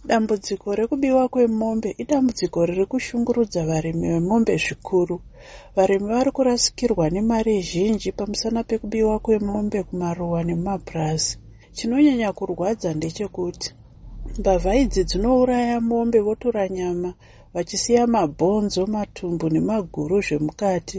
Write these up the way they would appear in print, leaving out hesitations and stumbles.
Dambudziko rekubiwa kwemombe idambudziko riri kushungurudza varimi vemombe zvikuru. Varimi vari kurasikirwa nemari zhinji pamusana pekubiwa kwemombe kumaruwa nemumapurazi. Chinonyanya kurwadza ndechekuti mbavha idzi dzinouraya mombe votora nyama vachisiya mabhonzo, matumbu nemaguru zvemukati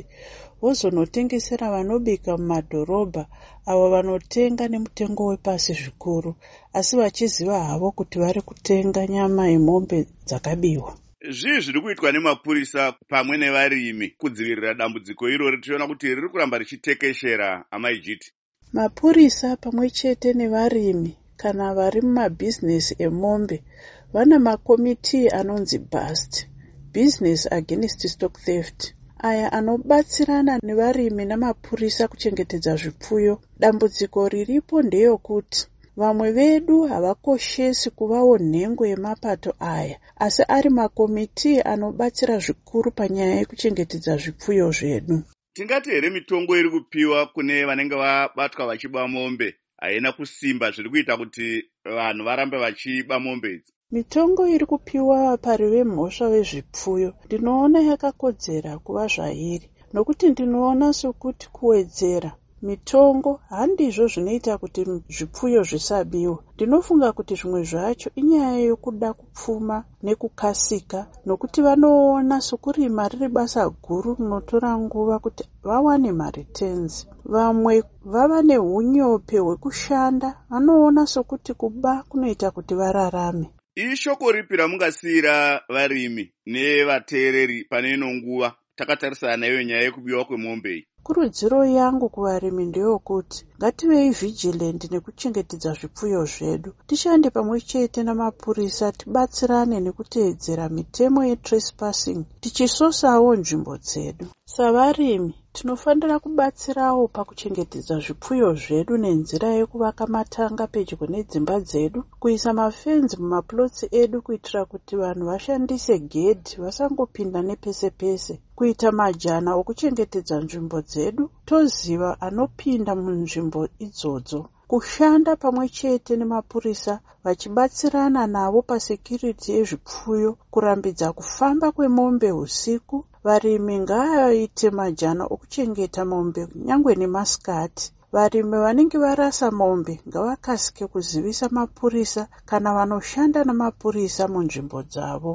vozonotengesera vanobika mumadhorobha avo vanotenga nemutengo wepasi zvikuru asi vachiziva havo kuti vari kutenga nyama yemombe dzakabiwa. Zvii zviri kuitwa nemapurisa pamwe nevarimi kudzivirira dambudziko irori tichiona kuti riri kuramba richitekeshera, Amai Jiti? Mapurisa pamwe chete nevarimi kana vari mumabhizinesi emombe vana makomitii anonzi BAST, Business Against Stock Theft, aya anobatsirana nevarimi namapurisa kuchengetedza zvipfuyo. Dambudziko riripo ndeyokuti vamwe vedu havakoshesi kuvawo nhengo yemapato aya asi ari makomitii anobatsira zvikuru panyaya yekuchengetedza zvipfuyo zvedu. Tingati here mitongo iri kupiwa kune vanenge vabatwa vachiba mombe haina kusimba zviri kuita kuti vanhu varambe vachiba mombe idzi? Mitongo iri kupiwa vapari vemhosva vezvipfuyo ndinoona yakakodzera kuva zvairi nokuti ndinoona sokuti kuwedzera mitongo handizvo zvinoita kuti zvipfuyo zvisabiwa. Ndinofunga kuti zvimwe zvacho inyaya yokuda kupfuma nekukasika nokuti vanoona sokurima riri basa guru rinotora nguva kuti vawane mareturns. Vamwe vava neunyope hwekushanda vanoona sokuti kuba kunoita kuti vararame. Ishoko ripi ramungasiyira varimi nevateereri pane ino nguva takatarisana naiyo nyaya yekubiwa kwemombe iyi? Kurudziro yangu kuvarimi ndeyokuti ngativei vigilant nekuchengetedza zvipfuyo zvedu. Tishande pamwe chete namapurisa tibatsirane nekuteedzera mitemo yetrespassing tichisosawo nzvimbo dzedu. Savarimi tinofanira kubatsirawo pakuchengetedza zvipfuyo zvedu nenzira yekuvaka matanga pedyo nedzimba dzedu, kuisa mafenzi mumaplotsi edu kuitira kuti vanhu vashandise gedhi vasangopinda nepese pese, kuita majana okuchengetedza nzvimbo dzedu toziva anopinda munzvimbo idzodzo, kushanda pamwe chete nemapurisa vachibatsirana navo pasecurity yezvipfuyo, kurambidza kufamba kwemombe usiku. Varimi ngavaite majana okuchengeta mombe nyangwe nemasikati. Varimi vanenge varasa mombe ngavakasike kuzivisa mapurisa kana vanoshanda namapurisa munzvimbo dzavo.